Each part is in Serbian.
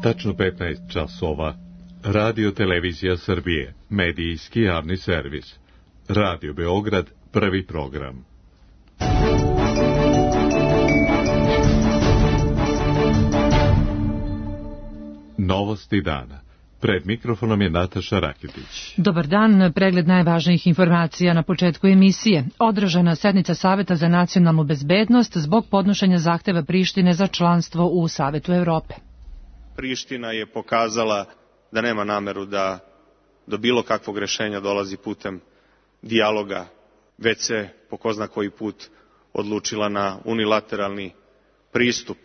Tačno 15 časova. Radio Televizija Srbije, medijski javni servis. Radio Beograd, prvi program. Novosti dana. Pred mikrofonom je Nataša Raketić. Dobar dan, pregled najvažnijih informacija na početku emisije. Održana sednica Saveta za nacionalnu bezbednost zbog podnošenja zahteva Prištine za članstvo u Savetu Evrope. Priština je pokazala da nema nameru da do bilo kakvog rešenja dolazi putem dijaloga, već se po ko zna koji put odlučila na unilateralni pristup.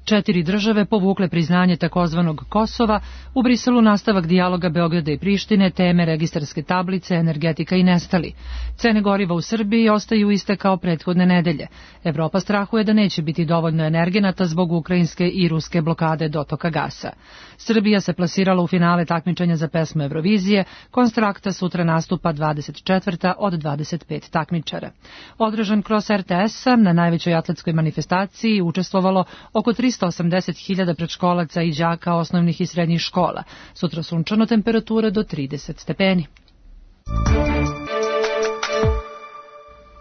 4 države povukle priznanje takozvanog Kosova, u Briselu nastavak dijaloga Beograda i Prištine, teme registarske tablice, energetika i nestali. Cene goriva u Srbiji ostaju iste kao prethodne nedelje. Evropa strahuje da neće biti dovoljno energenata zbog ukrajinske i ruske blokade dotoka gasa. Srbija se plasirala u finale takmičenja za pesmu Eurovizije, Konstrakta sutra nastupa 24. od 25 takmičara. Održan kroz RTS-a na najvećoj atletskoj manifestaciji učestvovalo oko 380.000 predškolaca i đaka osnovnih i srednjih škola. Sutra sunčano, temperatura do 30 stepeni.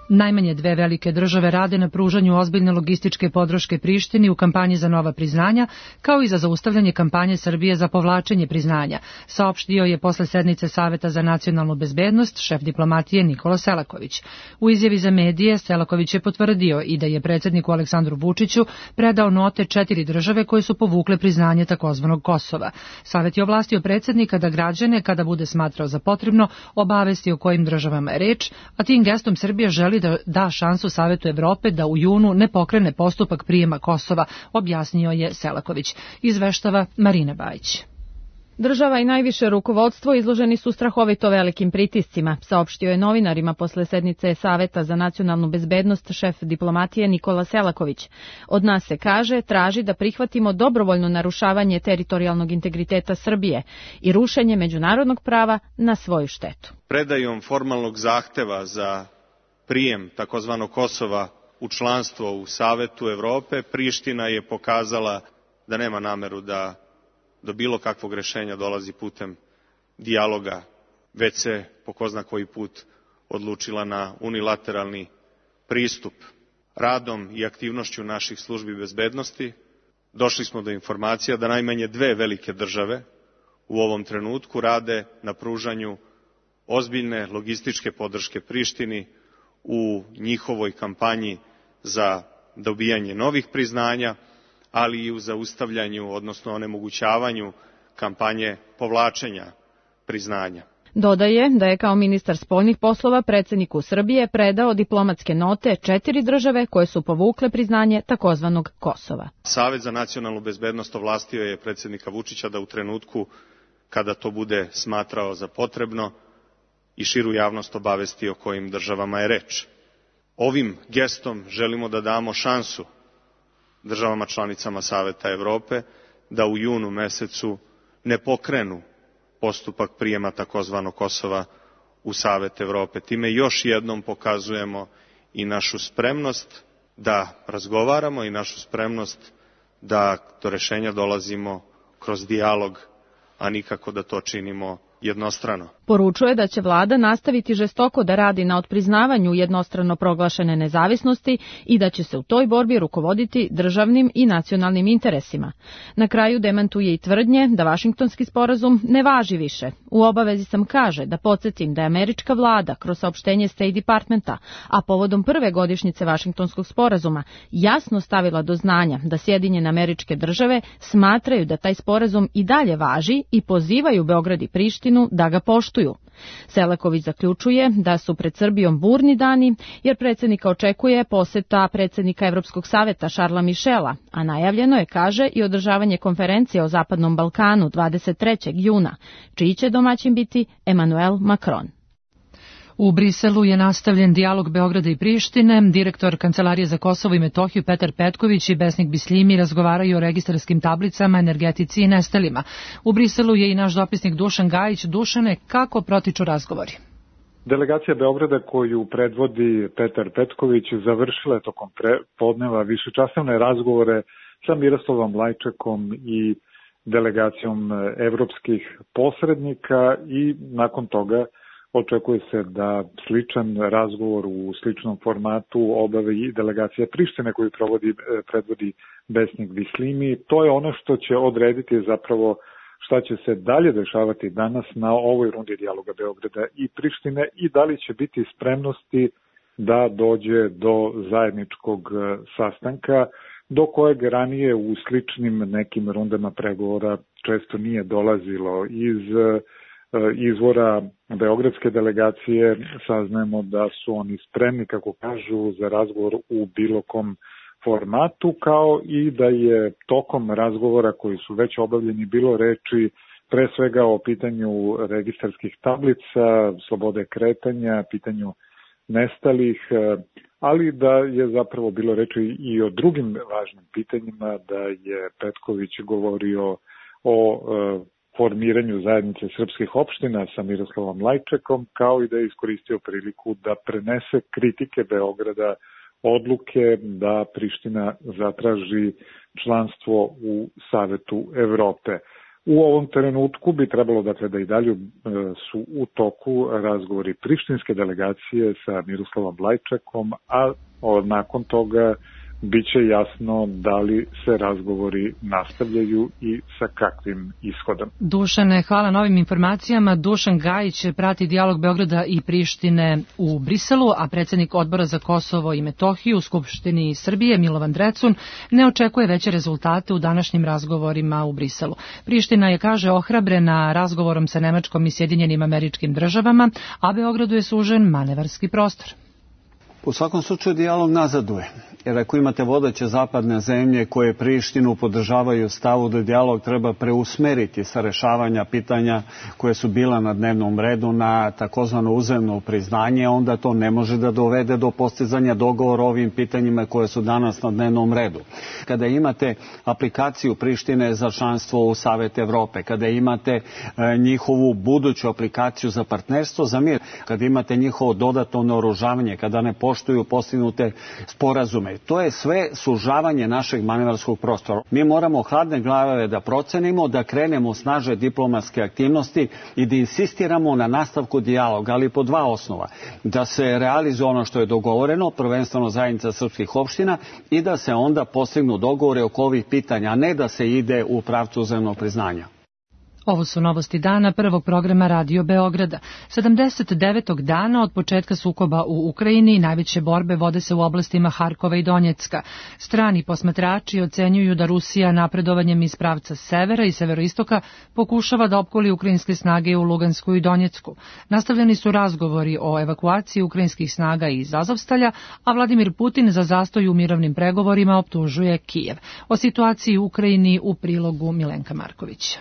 Najmanje 2 velike države rade na pružanju ozbiljne logističke podrške Prištini u kampanji za nova priznanja, kao i za zaustavljanje kampanje Srbije za povlačenje priznanja, saopštio je posle sednice Saveta za nacionalnu bezbednost šef diplomatije Nikola Selaković. U izjavi za medije Selaković je potvrdio i da je predsjedniku Aleksandru Vučiću predao note 4 države koje su povukle priznanje takozvanog Kosova. Savet je ovlastio predsjednika da građane, kada bude smatrao za potrebno, obavesti o kojim državama je reč, a tim gestom Srbija želi da da šansu Savetu Evrope da u junu ne pokrene postupak prijema Kosova, objasnio je Selaković. Izveštava Marina Bajić. Država i najviše rukovodstvo izloženi su strahovito velikim pritiscima, saopštio je novinarima posle sednice Saveta za nacionalnu bezbednost šef diplomatije Nikola Selaković. Od nas se kaže, traži da prihvatimo dobrovoljno narušavanje teritorijalnog integriteta Srbije i rušenje međunarodnog prava na svoju štetu. Predajom formalnog zahteva za prijem takozvanog Kosova u članstvo u Savetu Evrope, Priština je pokazala da nema nameru da do bilo kakvog rešenja dolazi putem dijaloga, već se po ko zna koji put odlučila na unilateralni pristup. Radom i aktivnošću naših službi bezbednosti došli smo do informacija da najmanje 2 velike države u ovom trenutku rade na pružanju ozbiljne logističke podrške Prištini u njihovoj kampanji za dobijanje novih priznanja, ali i u zaustavljanju, odnosno onemogućavanju kampanje povlačenja priznanja. Dodaje da je kao ministar spoljnih poslova predsjedniku Srbije predao diplomatske note 4 države koje su povukle priznanje takozvanog Kosova. Savet za nacionalnu bezbednost ovlastio je predsjednika Vučića da u trenutku kada to bude smatrao za potrebno i širu javnost obavesti o kojim državama je reč. Ovim gestom želimo da damo šansu državama članicama Saveta Evrope da u junu mesecu ne pokrenu postupak prijema takozvanog Kosova u Savet Evrope. Time još jednom pokazujemo i našu spremnost da razgovaramo i našu spremnost da do rešenja dolazimo kroz dijalog, a nikako da to činimo jednostrano. Poručuje da će vlada nastaviti žestoko da radi na otpriznavanju jednostrano proglašene nezavisnosti i da će se u toj borbi rukovoditi državnim i nacionalnim interesima. Na kraju demantuje i tvrdnje da Vašingtonski sporazum ne važi više. U obavezi sam kaže da podsjetim da je američka vlada kroz saopštenje State Departmenta, a povodom prve godišnjice Vašingtonskog sporazuma, jasno stavila do znanja da Sjedinjene Američke Države smatraju da taj sporazum i dalje važi i pozivaju Beograd i Prištinu da ga poštuju. Selaković zaključuje da su pred Srbijom burni dani, jer predsjednika očekuje poseta predsjednika Evropskog saveta Šarla Mišela, a najavljeno je, kaže, i održavanje konferencije o Zapadnom Balkanu 23. juna, čiji će domaćin biti Emmanuel Macron. U Briselu je nastavljen dijalog Beograda i Prištine. Direktor Kancelarije za Kosovo i Metohiju Petar Petković i Besnik Bislimi razgovaraju o registarskim tablicama, energetici i nestalima. U Briselu je i naš dopisnik Dušan Gajić. Dušane, kako protiču razgovori? Delegacija Beograda koju predvodi Petar Petković završila je tokom podneva višečasovne razgovore sa Miroslavom Lajčekom i delegacijom evropskih posrednika i nakon toga očekuje se da sličan razgovor u sličnom formatu obave i delegacija Prištine koju predvodi Besnik Bislimi. To je ono što će odrediti zapravo šta će se dalje dešavati danas na ovoj rundi dijaloga Beograda i Prištine i da li će biti spremnosti da dođe do zajedničkog sastanka do kojeg ranije u sličnim nekim rundama pregovora često nije dolazilo. Iz izvora beogradske delegacije saznajemo da su oni spremni, kako kažu, za razgovor u bilo kom formatu, kao i da je tokom razgovora koji su već obavljeni bilo reči pre svega o pitanju registarskih tablica, slobode kretanja, pitanju nestalih, ali da je zapravo bilo reči i o drugim važnim pitanjima, da je Petković govorio o formiranju zajednice srpskih opština sa Miroslavom Lajčekom, kao i da je iskoristio priliku da prenese kritike Beograda odluke da Priština zatraži članstvo u Savetu Evrope. U ovom trenutku bi trebalo dakle da i dalje su u toku razgovori prištinske delegacije sa Miroslavom Lajčekom, a nakon toga biće jasno da li se razgovori nastavljaju i sa kakvim ishodom. Dušane, hvala na ovim informacijama. Dušan Gajić prati dijalog Beograda i Prištine u Briselu, a predsjednik Odbora za Kosovo i Metohiju u Skupštini Srbije, Milovan Drecun, ne očekuje veće rezultate u današnjim razgovorima u Briselu. Priština je, kaže, ohrabrena razgovorom sa Nemačkom i Sjedinjenim Američkim Državama, a Beogradu je sužen manevarski prostor. U svakom slučaju dijalog nazaduje, jer ako imate vodeće zapadne zemlje koje Prištinu podržavaju stavu da dijalog treba preusmeriti sa rešavanja pitanja koje su bila na dnevnom redu na takozvano uzajamno priznanje, onda to ne može da dovede do postizanja dogovora o ovim pitanjima koje su danas na dnevnom redu. Kada imate aplikaciju Prištine za članstvo u Savet Evrope, kada imate njihovu buduću aplikaciju za partnerstvo za mir, kada imate njihovo dodatno naoružavanje, kada ne poštuju postignute sporazume. To je sve sužavanje našeg manevarskog prostora. Mi moramo hladne glave da procenimo, da krenemo snaže diplomatske aktivnosti i da insistiramo na nastavku dijaloga, ali po dva osnova. Da se realizuje ono što je dogovoreno, prvenstveno zajednica srpskih opština, i da se onda postignu dogovore oko ovih pitanja, a ne da se ide u pravcu uzajamnog priznanja. Ovo su novosti dana prvog programa Radio Beograda. 79. dana od početka sukoba u Ukrajini najveće borbe vode se u oblastima Harkova i Donjecka. Strani posmatrači ocenjuju da Rusija napredovanjem iz pravca severa i severoistoka pokušava da opkoli ukrajinske snage u Lugansku i Donjecku. Nastavljeni su razgovori o evakuaciji ukrajinskih snaga iz Azovstalja, a Vladimir Putin za zastoj u mirovnim pregovorima optužuje Kijev. O situaciji u Ukrajini u prilogu Milenka Markovića.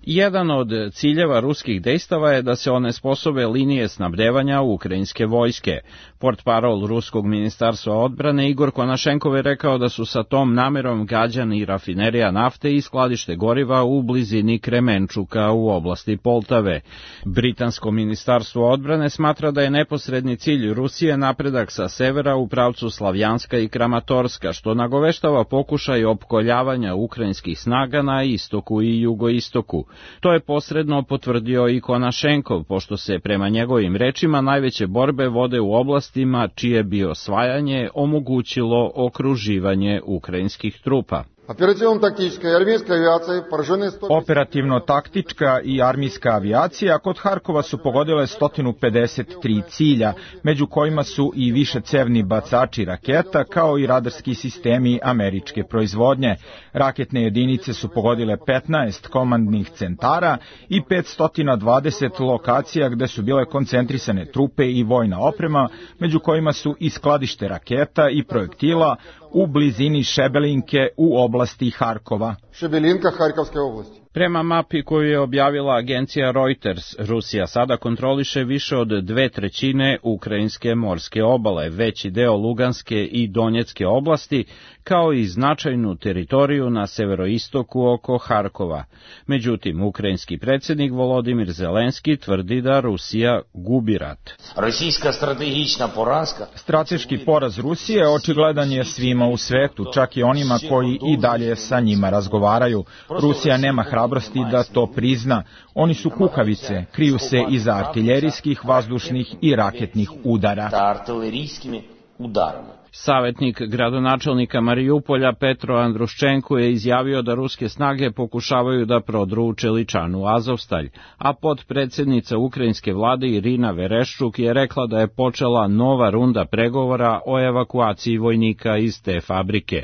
Jedan od ciljeva ruskih dejstava je da se onesposobe linije snabdevanja ukrajinske vojske. Portparol Ruskog ministarstva odbrane Igor Konašenkov je rekao da su sa tom namerom gađani rafinerija nafte i skladište goriva u blizini Kremenčuka u oblasti Poltave. Britansko ministarstvo odbrane smatra da je neposredni cilj Rusije napredak sa severa u pravcu Slavjanska i Kramatorska, što nagoveštava pokušaj opkoljavanja ukrajinskih snaga na istoku i jugoistoku. To je posredno potvrdio i Konašenkov, pošto se prema njegovim rečima najveće borbe vode u oblastima čije bi osvajanje omogućilo okruživanje ukrajinskih trupa. Operativno-taktička i armijska avijacija kod Harkova su pogodile 153 cilja, među kojima su i višecevni bacači raketa, kao i radarski sistemi američke proizvodnje. Raketne jedinice su pogodile 15 komandnih centara i 520 lokacija gde su bile koncentrisane trupe i vojna oprema, među kojima su i skladište raketa i projektila u blizini Šebelinke u oblasti Harkova. Šebelinka, Harkovske oblasti. Prema mapi koju je objavila agencija Reuters, Rusija sada kontroliše više od 2/3 ukrajinske morske obale, veći deo Luganske i Donjecke oblasti, kao i značajnu teritoriju na severoistoku oko Harkova. Međutim, ukrajinski predsjednik Volodimir Zelenski tvrdi da Rusija gubi rat. Strateški poraz Rusije očigledan je svima u svetu, čak i onima koji i dalje sa njima razgovaraju. Rusija nema hrabrosti da to prizna. Oni su kukavice, kriju se iza artiljerijskih, vazdušnih i raketnih udara. Savjetnik gradonačelnika Marijupolja Petro Andruščenko je izjavio da ruske snage pokušavaju da prodru u Čeličanu Azovstalj, a potpredsjednica ukrajinske vlade Irina Vereščuk je rekla da je počela nova runda pregovora o evakuaciji vojnika iz te fabrike.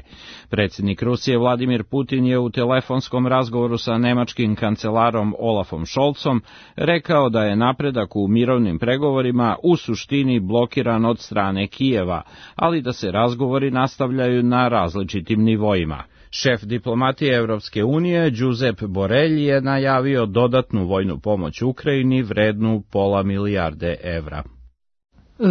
Predsjednik Rusije Vladimir Putin je u telefonskom razgovoru sa nemačkim kancelarom Olafom Scholzom rekao da je napredak u mirovnim pregovorima u suštini blokiran od strane Kijeva, ali da se razgovori nastavljaju na različitim nivoima. Šef diplomatije Evropske unije, Josep Borrell, je najavio dodatnu vojnu pomoć Ukrajini vrednu £500 milijarde evra.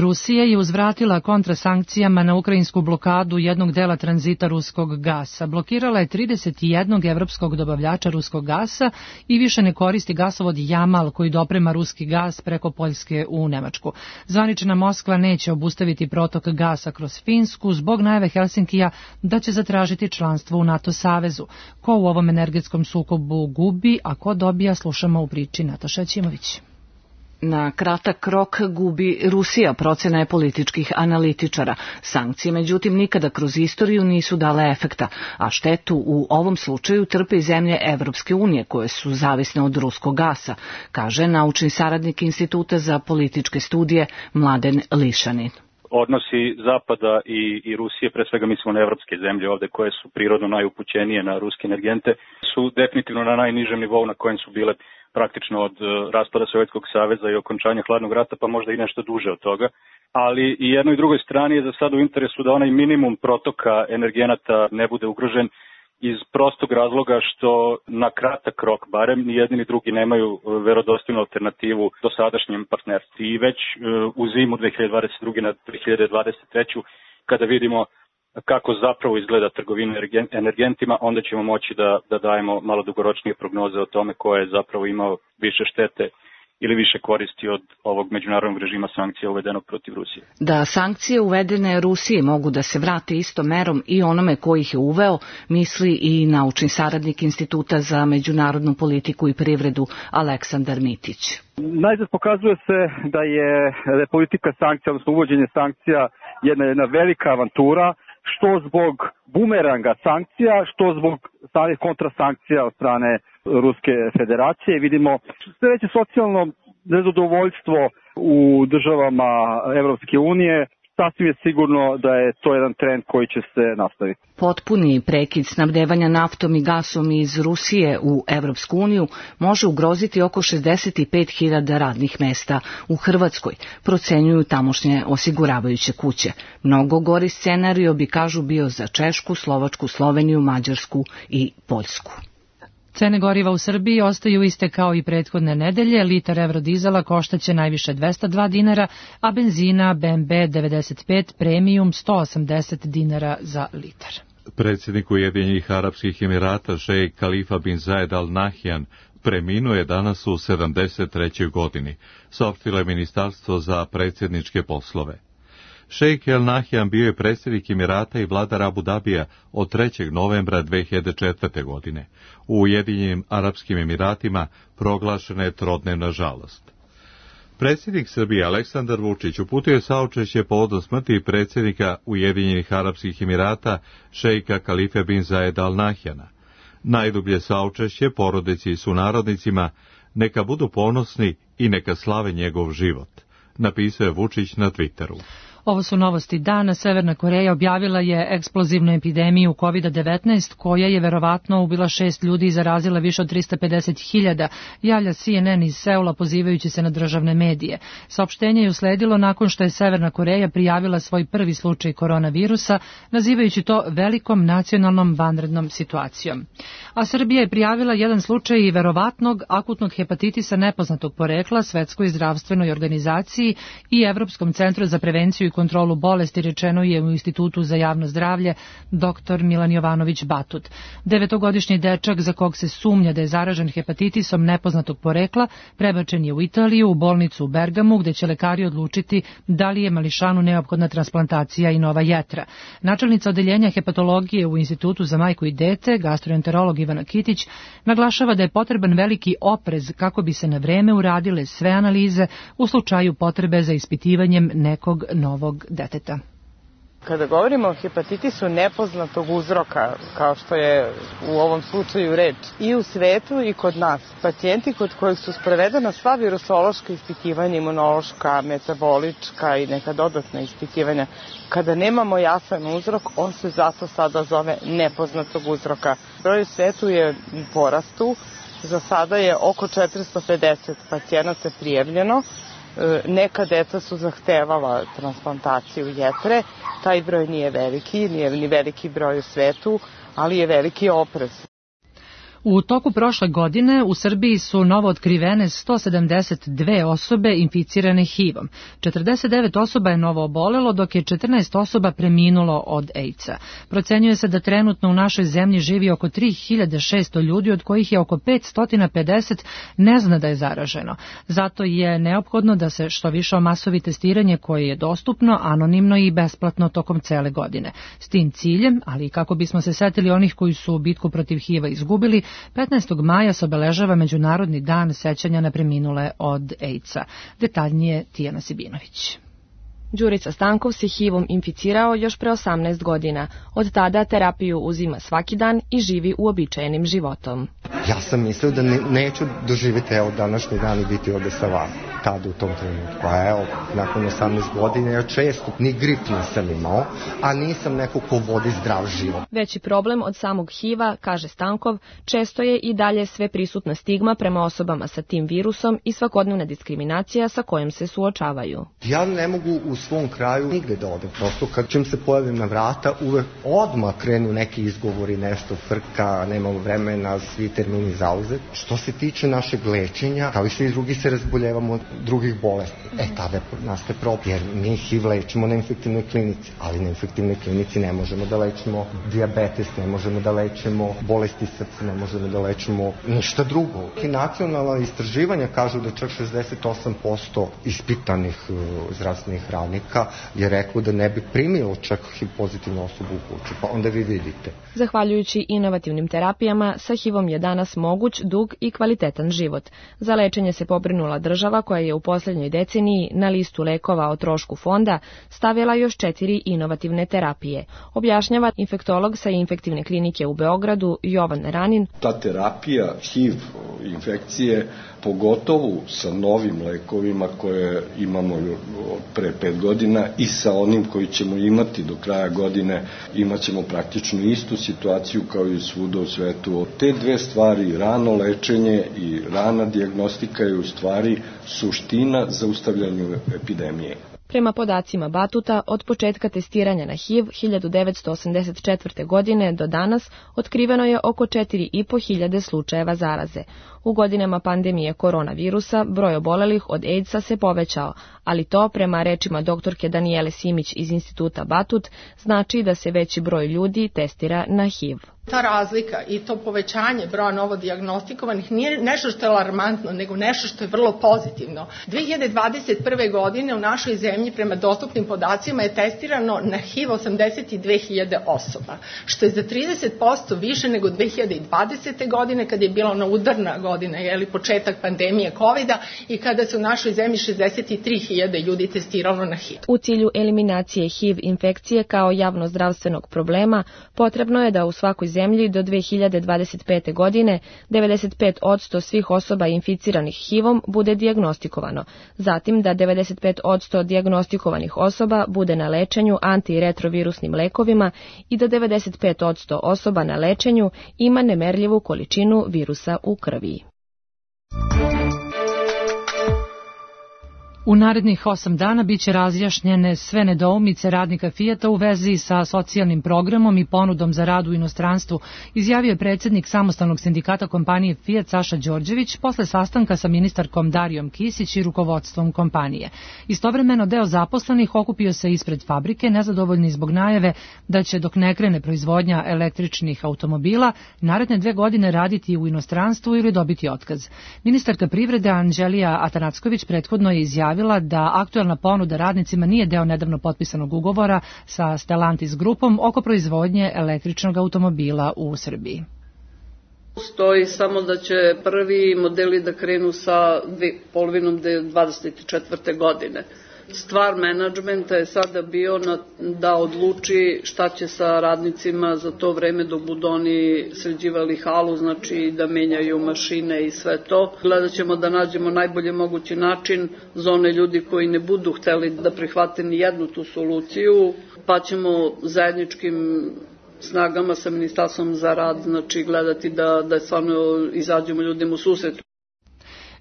Rusija je uzvratila kontrasankcijama na ukrajinsku blokadu jednog dela tranzita ruskog gasa. Blokirala je 31 evropskog dobavljača ruskog gasa i više ne koristi gasovod Jamal koji doprema ruski gas preko Poljske u Nemačku. Zvanična Moskva neće obustaviti protok gasa kroz Finsku zbog najave Helsinkija da će zatražiti članstvo u NATO savezu. Ko u ovom energetskom sukobu gubi, a ko dobija, slušamo u priči Nataša Ćimović. Na kratak rok gubi Rusija, procena je političkih analitičara. Sankcije, međutim, nikada kroz istoriju nisu dale efekta, a štetu u ovom slučaju trpe i zemlje Evropske unije, koje su zavisne od ruskog gasa, kaže naučni saradnik Instituta za političke studije Mladen Lišanin. Odnosi Zapada i Rusije, pre svega mislimo na evropske zemlje ovde koje su prirodno najupućenije na ruske energente, su definitivno na najnižem nivou na kojem su bile praktično od raspada Sovjetskog saveza i okončanja hladnog rata, pa možda i nešto duže od toga. Ali i jednoj i drugoj strani je za sad u interesu da onaj minimum protoka energenata ne bude ugrožen iz prostog razloga što na kratak rok, barem, ni jedni ni drugi nemaju verodostojnu alternativu dosadašnjem partnerstvu. I već u zimu 2022. na 2023. kada vidimo kako zapravo izgleda trgovina energentima, onda ćemo moći da dajemo malo dugoročnije prognoze o tome ko je zapravo imao više štete ili više koristi od ovog međunarodnog režima sankcija uvedenog protiv Rusije. Da sankcije uvedene Rusiji mogu da se vrate istom merom i onome koji ih je uveo, misli i naučni saradnik Instituta za međunarodnu politiku i privredu Aleksandar Mitić. Najzad pokazuje se da je politika sankcija, odnosno uvođenje sankcija, jedna velika avantura, što zbog bumeranga sankcija, što zbog samih kontrasankcija od strane Ruske federacije. Vidimo sve veće socijalno nezadovoljstvo u državama Evropske unije. Sasvim je sigurno da je to jedan trend koji će se nastaviti. Potpuni prekid snabdevanja naftom i gasom iz Rusije u Evropsku uniju može ugroziti oko 65.000 radnih mesta u Hrvatskoj, procenjuju tamošnje osiguravajuće kuće. Mnogo gori scenario bi, kažu, bio za Češku, Slovačku, Sloveniju, Mađarsku i Poljsku. Cene goriva u Srbiji ostaju iste kao i prethodne nedelje. Litar eurodizela koštaće najviše 202 dinara, a benzina BMB 95 premium 180 dinara za litar. Predsjednik Ujedinjenih Arapskih Emirata šejk Kalifa bin Zayed Al Nahyan preminuo je danas u 73. godini, saopštilo je Ministarstvo za predsjedničke poslove. Šejk Al Nahyan bio je predsjednik Emirata i vladar Abu Dabija od 3. novembra 2004. godine. U Ujedinjenim Arapskim Emiratima proglašena je trodnevna žalost. Predsjednik Srbije Aleksandar Vučić uputio je saučešće povodom smrti predsjednika Ujedinjenih Arapskih Emirata šejka Kalife bin Zayed Al Nahyana. Najdublje saučešće porodici i sunarodnicima, neka budu ponosni i neka slave njegov život, napisao je Vučić na Twitteru. Ovo su novosti dana. Severna Koreja objavila je eksplozivnu epidemiju COVID-19 koja je verovatno ubila 6 ljudi i zarazila više od 350.000, javlja CNN iz Seula pozivajući se na državne medije. Saopštenje je usledilo nakon što je Severna Koreja prijavila svoj prvi slučaj koronavirusa, nazivajući to velikom nacionalnom vanrednom situacijom. a Srbija je prijavila jedan slučaj verovatnog akutnog hepatitisa nepoznatog porekla Svetskoj zdravstvenoj organizaciji i Evropskom centru za prevenciju i kontrolu bolesti, rečeno je u Institutu za javno zdravlje dr. Milan Jovanović Batut. 9-godišnji dečak za kog se sumnja da je zaražen hepatitisom nepoznatog porekla prebačen je u Italiju, u bolnicu u Bergamu, gde će lekari odlučiti da li je mališanu neophodna transplantacija i nova jetra. Načelnica odeljenja hepatologije u Institutu za majku i dete, gastroenterolog Ivana Kitić, naglašava da je potreban veliki oprez kako bi se na vreme uradile sve analize u slučaju potrebe za ispitivanjem nekog novog deteta. Kada govorimo o hepatitisu nepoznatog uzroka, kao što je u ovom slučaju reč, i u svetu i kod nas, pacijenti kod kojih su sprovedena sva virusološka ispitivanja, imunološka, metabolička i neka dodatna ispitivanja, kada nemamo jasan uzrok, on se zato sada zove nepoznatog uzroka. Broj u svetu je u porastu, za sada je oko 450 pacijenata prijavljeno. Neka deca su zahtevala transplantaciju jetre, taj broj nije veliki, nije ni veliki broj u svetu, ali je veliki oprez. U toku prošle godine u Srbiji su novo otkrivene 172 osobe inficirane HIV-om. 49 osoba je novo obolelo, dok je 14 osoba preminulo od AIDS-a. Procenjuje se da trenutno u našoj zemlji živi oko 3600 ljudi, od kojih je oko 550 ne zna da je zaraženo. Zato je neophodno da se što više omasovi testiranje koje je dostupno, anonimno i besplatno tokom cele godine. S tim ciljem, ali i kako bismo se setili onih koji su bitku protiv HIV-a izgubili, 15. maja se obeležava Međunarodni dan sećanja na preminule od AIDS-a. Detaljnije Tijana Sibinović. Đurica Stankov se HIV-om inficirao još pre 18 godina. Od tada terapiju uzima svaki dan i živi uobičajenim životom. Ja sam mislio da neću doživjeti današnji dan i biti ovde sa vama. Tada u tom trenutku. A evo, nakon 18 godina ja često ni grip nisam imao, a nisam neko ko vodi zdrav život. Veći problem od samog HIV-a, kaže Stankov, često je i dalje sve prisutna stigma prema osobama sa tim virusom i svakodnevna diskriminacija sa kojom se suočavaju. Ja ne mogu u svom kraju nigde da odem. Prosto kad čim se pojavim na vrata, uvek odmah krenu neki izgovori, nešto frka, nemamo vremena, svi termini zauzet. Što se tiče našeg lečenja, kao i svi drugi se razboljevamo od drugih bolesti. Tada nastaje problem, jer mi HIV lečimo na infektivnoj klinici, ali na infektivnoj klinici ne možemo da lečimo dijabetes, ne možemo da lečimo bolesti srca, ne možemo da lečimo ništa drugo. I nacionalna istraživanja kažu da čak 68% ispitanih zdravstvenih radnika je reklo da ne bi primilo čak HIV pozitivnu osobu u kuću, pa onda vi vidite. Zahvaljujući inovativnim terapijama, sa HIV-om je danas moguć dug i kvalitetan život. Za lečenje se pobrinula država koja je u posljednjoj deceniji na listu lekova o trošku fonda stavila još 4 inovativne terapije. Objašnjava infektolog sa infektivne klinike u Beogradu Jovan Ranin. Ta terapija HIV infekcije, pogotovo sa novim lekovima koje imamo pre 5 godina i sa onim koji ćemo imati do kraja godine, imat ćemo praktično istu situaciju kao i svuda u svetu. Te dve stvari, rano lečenje i rana dijagnostika, je u stvari suština zaustavljanju epidemije. Prema podacima Batuta, od početka testiranja na HIV 1984. godine do danas otkriveno je oko 4.500 slučajeva zaraze. U godinama pandemije koronavirusa broj obolelih od AIDS-a se povećao, ali to, prema rečima doktorke Danijele Simić iz Instituta Batut, znači da se veći broj ljudi testira na HIV. Ta razlika i to povećanje broja novodiagnostikovanih nije nešto što je alarmantno, nego nešto što je vrlo pozitivno. 2021. godine u našoj zemlji prema dostupnim podacima je testirano na HIV 82.000 osoba, što je za 30% više nego 2020. godine kad je bila ona udarna godina, početak pandemije COVID-a i kada se u našoj zemlji 63.000 ljudi testiralo na HIV. U cilju eliminacije HIV infekcije kao javnozdravstvenog problema potrebno je da u svakoj zemlji do 2025. godine 95% svih osoba inficiranih HIV-om bude dijagnostikovano. Zatim da 95% dijagnostikovanih osoba bude na lečenju antiretrovirusnim lekovima i da 95% osoba na lečenju ima nemerljivu količinu virusa u krvi. U narednih 8 dana biće razjašnjene sve nedoumice radnika Fijata u vezi sa socijalnim programom i ponudom za rad u inostranstvu, izjavio je predsjednik samostalnog sindikata kompanije Fijat Saša Đorđević posle sastanka sa ministarkom Darijom Kisić i rukovodstvom kompanije. Istovremeno deo zaposlenih okupio se ispred fabrike, nezadovoljni zbog najave da će dok ne krene proizvodnja električnih automobila naredne 2 godine raditi u inostranstvu ili dobiti otkaz. Ministarka privrede Anđelija Atanacković prethodno je izjavila da aktuelna ponuda radnicima nije deo nedavno potpisanog ugovora sa Stellantis grupom oko proizvodnje električnog automobila u Srbiji. Stoji samo da će prvi modeli da krenu sa polovinom 2024. godine. Stvar menadžmenta je sada bio da odluči šta će sa radnicima za to vreme dok budu oni sređivali halu, znači da menjaju mašine i sve to. Gledat ćemo da nađemo najbolje mogući način za one ljudi koji ne budu hteli da prihvate ni jednu tu soluciju, pa ćemo zajedničkim snagama sa Ministarstvom za rad znači gledati da stvarno izađemo ljudima u susret.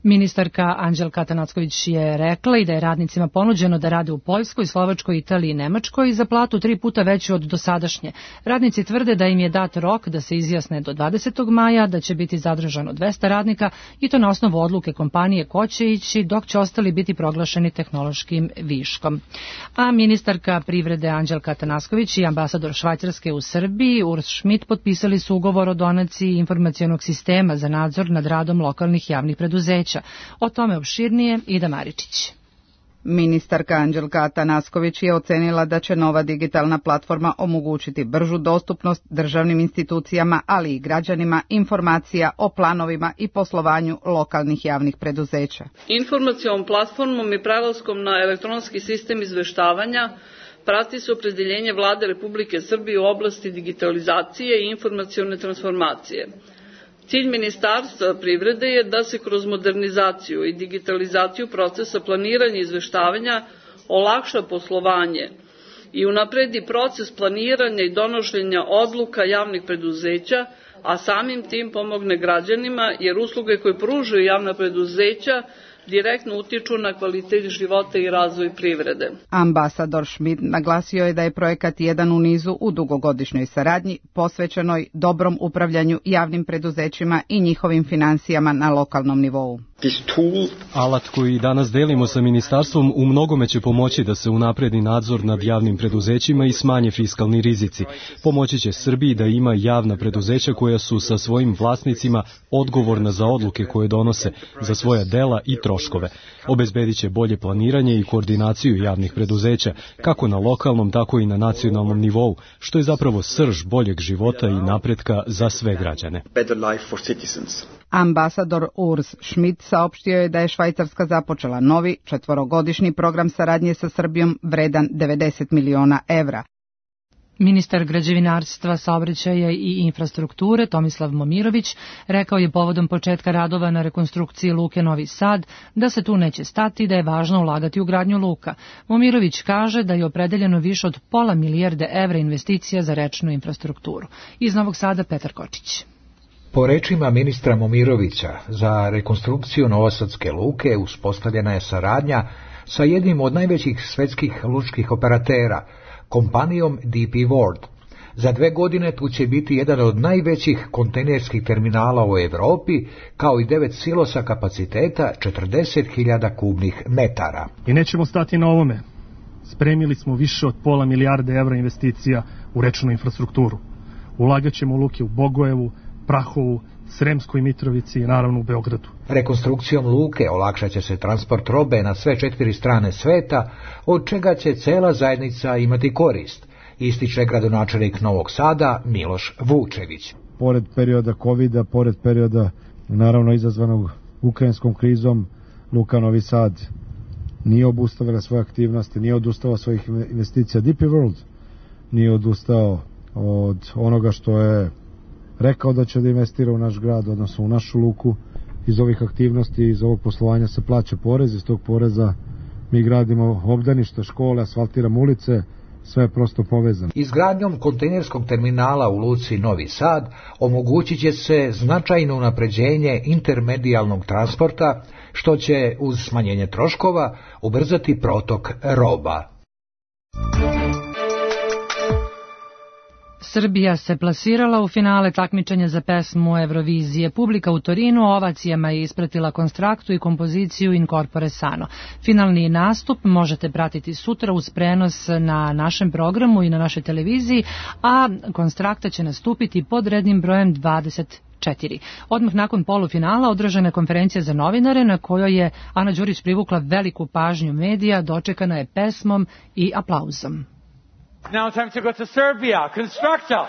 Ministarka Anđelka Atanacković je rekla i da je radnicima ponuđeno da rade u Poljskoj, Slovačkoj, Italiji i Nemačkoj za platu 3 puta veću od dosadašnje. Radnici tvrde da im je dat rok da se izjasne do 20. maja, da će biti zadržano 200 radnika i to na osnovu odluke kompanije ko će ići, dok će ostali biti proglašeni tehnološkim viškom. A ministarka privrede Anđelka Atanacković i ambasador Švajcarske u Srbiji Urs Schmidt potpisali su ugovor o donaciji informacionog sistema za nadzor nad radom lokalnih javnih preduzeća. O tome opširnije Ida Maričić. Ministarka Anđelka Atanacković je ocenila da će nova digitalna platforma omogućiti bržu dostupnost državnim institucijama, ali i građanima informacija o planovima i poslovanju lokalnih javnih preduzeća. Informacionom platformom i prelaskom na elektronski sistem izveštavanja prati se opredeljenje Vlade Republike Srbije u oblasti digitalizacije i informacione transformacije. Cilj Ministarstva privrede je da se kroz modernizaciju i digitalizaciju procesa planiranja i izveštavanja olakša poslovanje i unapredi proces planiranja i donošenja odluka javnih preduzeća, a samim tim pomogne građanima, jer usluge koje pružaju javna preduzeća direktno utiču na kvalitet života i razvoj privrede. Ambasador Schmidt naglasio je da je projekat jedan u nizu u dugogodišnjoj saradnji posvećenoj dobrom upravljanju javnim preduzećima i njihovim financijama na lokalnom nivou. Alat koji danas delimo sa ministarstvom u mnogome će pomoći da se unapredi nadzor nad javnim preduzećima i smanje fiskalni rizici. Pomoći će Srbiji da ima javna preduzeća koja su sa svojim vlasnicima odgovorna za odluke koje donose, za svoja dela i troškove. Obezbedit će bolje planiranje i koordinaciju javnih preduzeća, kako na lokalnom, tako i na nacionalnom nivou, što je zapravo srž boljeg života i napretka za sve građane. Ambasador Urs Schmidt saopštio je da je Švajcarska započela novi 4-godišnji program saradnje sa Srbijom vredan 90 miliona evra. Ministar građevinarstva, saobraćaja i infrastrukture Tomislav Momirović rekao je povodom početka radova na rekonstrukciji luke Novi Sad da se tu neće stati i da je važno ulagati u gradnju luka. Momirović kaže da je opredeljeno više od pola milijarde evra investicija za rečnu infrastrukturu. Iz Novog Sada Petar Kočić. Po rečima ministra Momirovića, za rekonstrukciju Novosadske luke uspostavljena je saradnja sa jednim od najvećih svetskih lučkih operatera, kompanijom DP World. Za 2 godine tu će biti jedan od najvećih kontejnerskih terminala u Evropi, kao i 9 silosa kapaciteta 40.000 kubnih metara. I nećemo stati na ovome. Spremili smo više od pola milijarde evra investicija u rečnu infrastrukturu. Ulagaćemo u luke u Bogojevu, Prahovu, Sremskoj Mitrovici i naravno u Beogradu. Rekonstrukcijom luke olakšat će se transport robe na sve 4 strane sveta, od čega će cela zajednica imati korist, ističe gradonačelnik Novog Sada Miloš Vučević. Pored perioda covida, pored perioda naravno izazvanog ukrajinskom krizom, luka Novi Sad nije obustavila svoje aktivnosti, nije odustao svojih investicija. DP World nije odustao od onoga što je rekao da će da investira u naš grad, odnosno u našu luku. Iz ovih aktivnosti, iz ovog poslovanja se plaća porez, iz tog poreza mi gradimo obdaništa, škole, asfaltiramo ulice, sve je prosto povezano. Izgradnjom kontejnerskog terminala u luci Novi Sad omogućit će se značajno unapređenje intermedijalnog transporta, što će uz smanjenje troškova ubrzati protok roba. Srbija se plasirala u finale takmičenja za pesmu Eurovizije. Publika u Torinu ovacijama je ispratila konstraktu i kompoziciju In Corpore Sano. Finalni nastup možete pratiti sutra uz prenos na našem programu i na našoj televiziji, a konstrakta će nastupiti pod rednim brojem 24. Odmah nakon polufinala održana je konferencija za novinare na kojoj je Ana Đurić privukla veliku pažnju medija, dočekana je pesmom i aplauzom. Now time to go to Serbia. Constructa.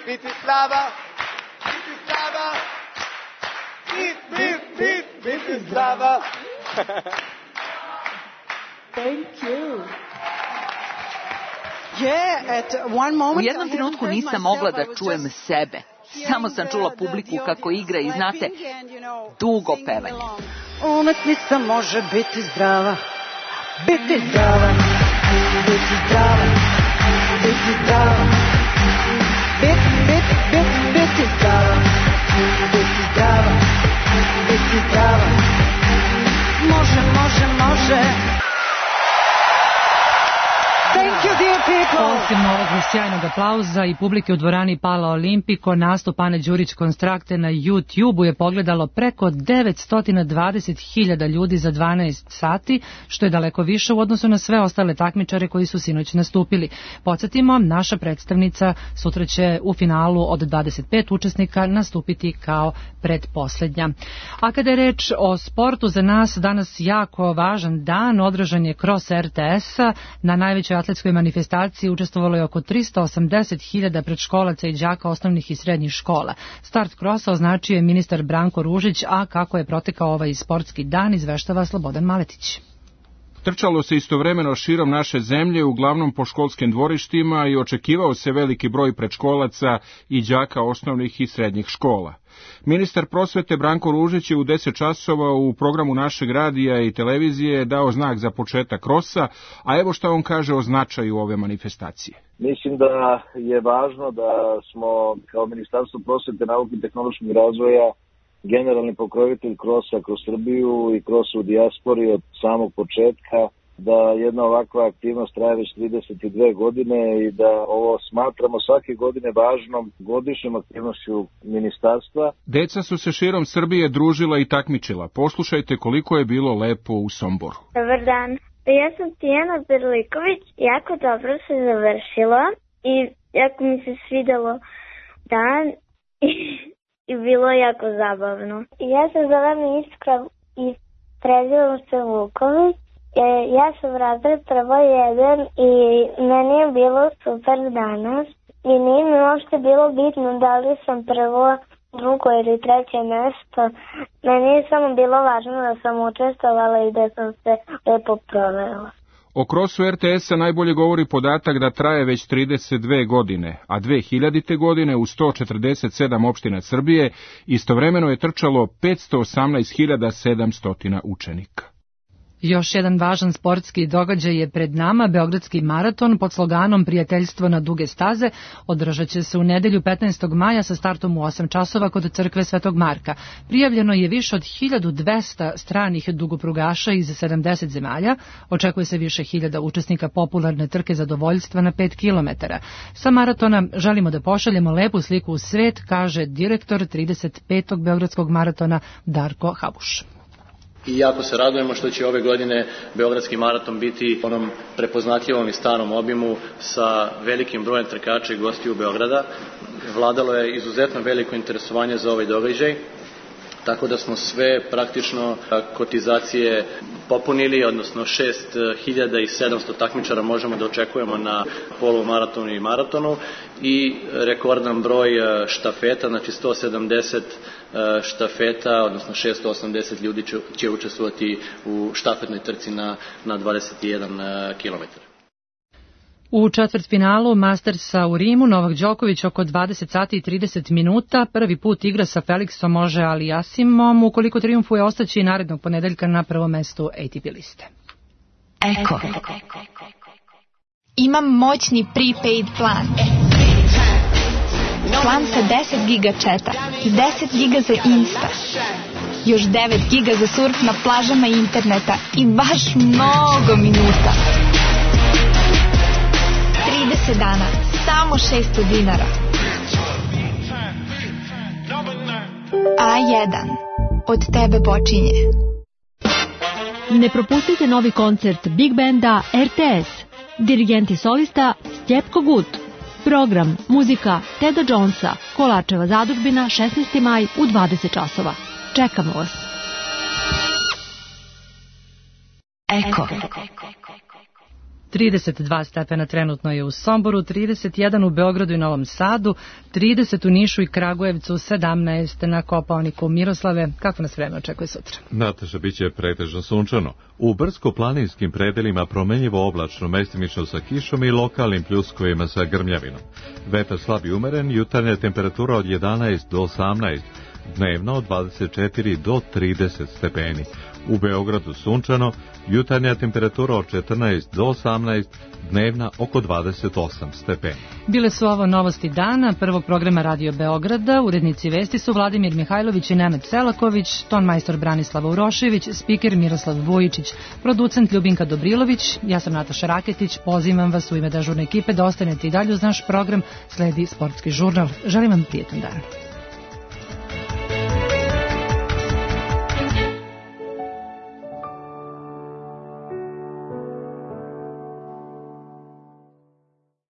Bratislava. Bratislava. Bratislava. Thank you. U jednom trenutku nisam mogla da čujem sebe. Samo sam čula publiku kako igra i znate, dugo pevanje. Umetnica može biti zdrava, biti zdrava, biti zdrava, biti zdrava, biti zdrava, biti zdrava, biti zdrava, može, može, može. Thank you, dear people. Osim ovog sjajnog aplauza i publike u dvorani Pala Olimpiko, nastup Ane Đurić Konstrakte na YouTube-u je pogledalo preko 920.000 ljudi za 12 sati, što je daleko više u odnosu na sve ostale takmičare koji su sinoć nastupili. Podsjetimo, naša predstavnica sutra će u finalu od 25 učesnika nastupiti kao pretposlednja. A kada je reč o sportu, za nas danas jako važan dan, održan je Cross RTS-a. Na najvećoj atletskoj manifestaciji učestvovalo je oko 380.000 predškolaca i đaka osnovnih i srednjih škola. Start Crossa označio je ministar Branko Ružić, a kako je protekao ovaj sportski dan izveštava Slobodan Maletić. Trčalo se istovremeno širom naše zemlje, uglavnom po školskim dvorištima, i očekivao se veliki broj predškolaca i đaka osnovnih i srednjih škola. Ministar prosvete Branko Ružić je u 10 časova u programu našeg radija i televizije dao znak za početak Crossa, a evo šta on kaže o značaju ove manifestacije. Mislim da je važno da smo kao Ministarstvo prosvete, nauke i tehnološkog razvoja generalni pokrovitelj Crossa kroz Srbiju i Crossa u dijaspori od samog početka, da jedna ovakva aktivnost traje već 32 godine i da ovo smatramo svake godine važnom godišnjom aktivnošću ministarstva. Deca su se širom Srbije družila i takmičila. Poslušajte koliko je bilo lepo u Somboru. Dobar dan, ja sam Tijana Berliković, jako dobro se završilo i jako mi se svidelo dan i bilo jako zabavno. Ja se zovem Iskra i prezivam se Vuković. Ja sam razred prvo 1 i meni je bilo super danas i nije mi uopšte bilo bitno da li sam prvo, drugo ili treće mesto. Meni je samo bilo važno da sam učestvovala i da sam se lepo provela. O Crossu RTS-a najbolje govori podatak da traje već 32 godine, a 2000. godine u 147 opština Srbije istovremeno je trčalo 518.700 učenika. Još jedan važan sportski događaj je pred nama. Beogradski maraton pod sloganom Prijateljstvo na duge staze održat će se u nedelju 15. maja sa startom u 8 časova kod crkve Svetog Marka. Prijavljeno je više od 1200 stranih dugoprugaša iz 70 zemalja. Očekuje se više hiljada učesnika popularne trke zadovoljstva na 5 kilometara. Sa maratona želimo da pošaljemo lepu sliku u svet, kaže direktor 35. Beogradskog maratona Darko Habuš. I jako se radujemo što će ove godine Beogradski maraton biti u onom prepoznatljivom i starom obimu sa velikim brojem trkača i gostiju Beograda. Vladalo je izuzetno veliko interesovanje za ovaj događaj, tako da smo sve praktično kotizacije popunili, odnosno 6700 takmičara možemo da očekujemo na polumaratonu i maratonu i rekordan broj štafeta, znači 170 štafeta, odnosno 680 ljudi će učestvovati u štafetnoj trci na 21 km. U četvrtfinalu Mastersa u Rimu Novak Đoković oko 20 sati i 30 minuta prvi put igra sa Felixom Može Aliasimom. Ukoliko trijumfuje, ostaće i narednog ponedeljka na prvom mestu ATP liste. Eko. Imam moćni prepaid plan. Plan sa 10 giga četa i 10 giga za Insta. Još 9 giga za surf na plažama interneta i baš mnogo minuta. 30 dana, samo 600 dinara. A1. Od tebe počinje. Ne propustite novi koncert Big Banda RTS. Dirigent i solista Stjepko Gut. Program, muzika Teda Jonesa, Kolačeva zadužbina, 16. maj u 20 časova. Čekamo vas. Eko. 32 stepena trenutno je u Somboru, 31 u Beogradu i Novom Sadu, 30 u Nišu i Kragujevcu, 17 na Kopaoniku. Miroslave, kako nas vreme očekuje sutra? Nataša, bit će pretežno sunčano. U brdsko-planinskim predelima promenljivo oblačno, mestimično sa kišom i lokalnim pljuskovima sa grmljavinom. Vetar slab i umeren, jutarnja temperatura od 11 do 18, dnevno od 24 do 30 stepeni. U Beogradu sunčano, jutarnja temperatura od 14 do 18, dnevna oko 28 stepeni. Bile su ovo novosti dana prvog programa Radio Beograda. Urednici vesti su Vladimir Mihajlović i Nemet Selaković, tonmajstor Branislava Urošević, spiker Miroslav Vujičić, producent Ljubinka Dobrilović. Ja sam Nataša Raketić, pozivam vas u ime dežurne ekipe da ostanete i dalje uz naš program. Sledi sportski žurnal. Želim vam prijetan dan.